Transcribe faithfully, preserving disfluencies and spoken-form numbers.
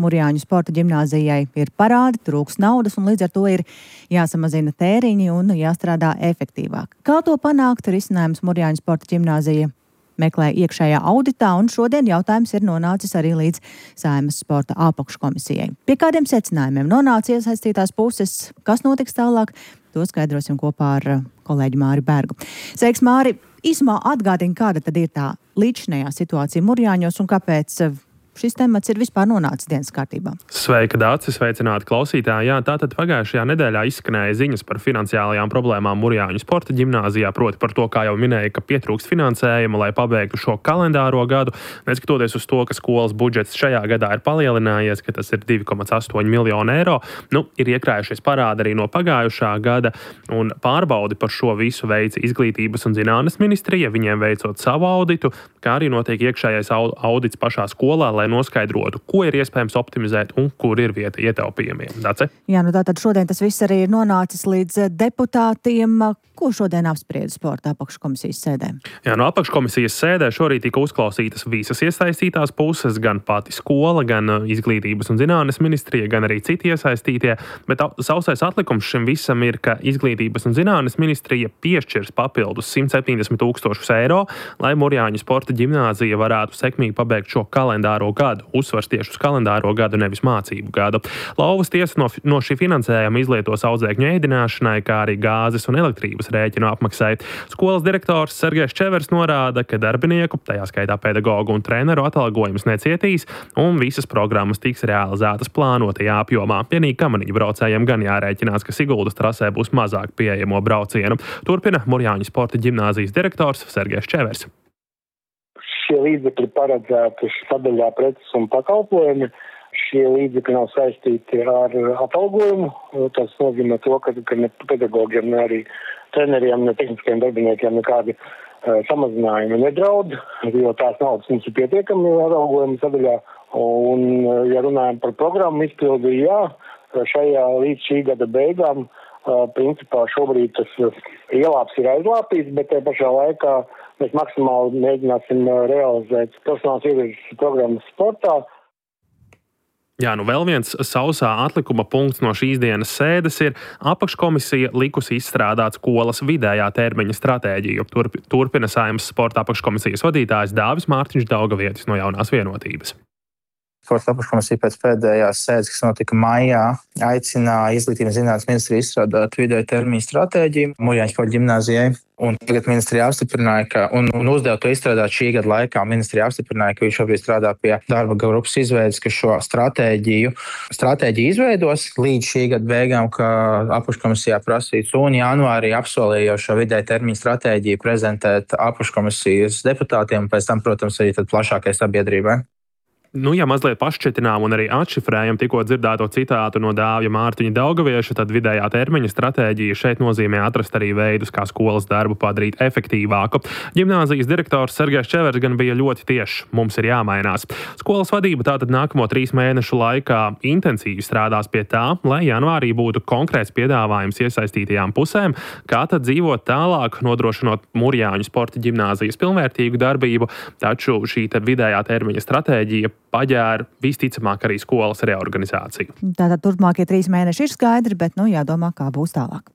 Murjāņu sporta ģimnāzijai ir parādi, trūks naudas un līdz ar to ir jāsamazina tēriņi un jāstrādā efektīvāk. Kā to panākt, risinājums Murjāņu sporta ģimnāzija meklē iekšējā auditā, un šodien jautājums ir nonācis arī līdz Saeimas sporta apakškomisijai. Pie kādiem secinājumiem nonāca iesaistītās puses, kas notiks tālāk, to skaidrosim kopā ar kolēģi Māri Bergu. Sveiks, Māri! Īsumā atgādini, kāda tad ir tā līdzinējā situācija Murjāņos un kāpēc šis temats ir vispār nonācis dienas kārtībā. Sveika, Dāci, sveicināti klausītāji. Jā, tātad pagājušajā nedēļā izskanēja ziņas par finansiālajām problēmām Murjāņu sporta ģimnāzijā, proti par to, kā jau minēja, ka pietrūkst finansējuma, lai pabeigtu šo kalendāro gadu, neskatoties uz to, ka skolas budžets šajā gadā ir palielinājies, ka tas ir divi komats astoņi miljoni eiro. Nu, ir iekrājušies parādi arī no pagājušā gada, un pārbaudi par šo visu veica Izglītības un zinātnes ministrija, viņiem veicot savu auditu, kā arī notiek iekšējais audits pašā skolā, lai noskaidrotu, ko ir iespējams optimizēt un kur ir vieta ietaupījumiem. Dace? Jā, nu tātad šodien tas viss arī ir nonācis līdz deputātiem. Ko šodien apsprieda sporta apakškomisijas sēdē? Jā, no apakškomisijas sēdē šorīt tika uzklausītas visas iesaistītās puses, gan pati skola, gan Izglītības un zinātnes ministrija, gan arī citi iesaistītie, bet sausais atlikums šim visam ir, ka Izglītības un zinātnes ministrija piešķirs papildus simt septiņdesmit tūkstošus eiro, lai Murjāņu sporta ģimnāzija varētu sekmīgi pabeigt šo kalendāro gadu. Uzsvars tieši uz kalendāro gadu, nevis mācību gadu. Lauvas tiesa no, no šī finansējuma izlietos audzēkņu ēdināšanai, kā arī gāzes un elektrības rēķinu apmaksai. Skolas direktors Sergejs Čevers norāda, ka darbinieku, tajā skaitā pedagogu un treneru atalgojums necietīs un visas programmas tiks realizētas plānotajā apjomā. Vienīgi kamaniņu braucējiem gan jārēķinās, ka Siguldas trasē būs mazāk pieejamo braucienu. Turpina Murjāņu sporta ģimnāzijas direktors Sergejs Čevers. Šie līdzekļi paredzēti sadaļā preces un pakalpojumi. Šie līdzekļi nav saistīti ar atalgojumu. Tas nozīmē to, ka, ka ne pedagogiem, ne arī treneriem, ne tehniskajiem darbiniekiem nekādi uh, samazinājumi nedraud, jo tās naudas mums ir pietiekami atalgojuma sadaļā. Un, uh, ja runājam par programmu izpildi, jā, šajā līdz šī gada beigām, uh, principā šobrīd tas uh, ielāps ir aizlāpīts, bet tajā pašā laikā mēs maksimāli mēģināsim uh, realizēt profesionālas ievirzes programmas sportā. Jā, nu vēl viens sausā atlikuma punkts no šīs dienas sēdes ir apakškomisija likusi izstrādāt skolas vidējā termiņa stratēģiju. Turp, turpina Saeimas sporta apakškomisijas vadītājs Dāvis Mārtiņš Daugavietis no Jaunās vienotības. Sporta apakškomisija pēc pēdējās sēdes, kas notika maijā, aicināja Izglītības un zinātnes ministriju izstrādāt vidēja termiņa stratēģiju Murjāņu sporta ģimnāzijai. Un tagad ministrija apstiprināja, ka, un, un uzdeva to izstrādāt šī gada laikā. Ministrija apstiprināja, ka viņš šobrīd strādā pie darba grupas izveides, ka šo stratēģiju, stratēģiju izveidos līdz šī gada beigām, ka apakškomisijā prasīts, un janvārī apsolīja šo vidēja termiņa stratēģiju prezentēt apakškomisijas deputātiem, un pēc tam, protams, arī tad plašākai sabiedrībai. Nu, ja mazliet pašķetinām un arī atšifrējam tikko dzirdēto citātu no Dāvja Mārtiņa Daugavieša, tad vidējā termiņa stratēģija šeit nozīmē atrast arī veidus, kā skolas darbu padarīt efektīvāku. Ģimnāzijas direktors Sergejs Čevers gan bija ļoti tieši. Mums ir jāmainās. Skolas vadība tātad nākamo trīs mēnešu laikā intensīvi strādās pie tā, lai janvārī būtu konkrēts piedāvājums iesaistītajām pusēm, kā tad dzīvot tālāk, nodrošinot Murjāņu sporta ģimnāzijas pilnvērtīgu darbību, taču šī te vidējā termiņa stratēģija paģēra visticamāk arī skolas reorganizāciju. Tātad turpmākie trīs mēneši ir skaidri, bet nu jādomā, kā būs tālāk.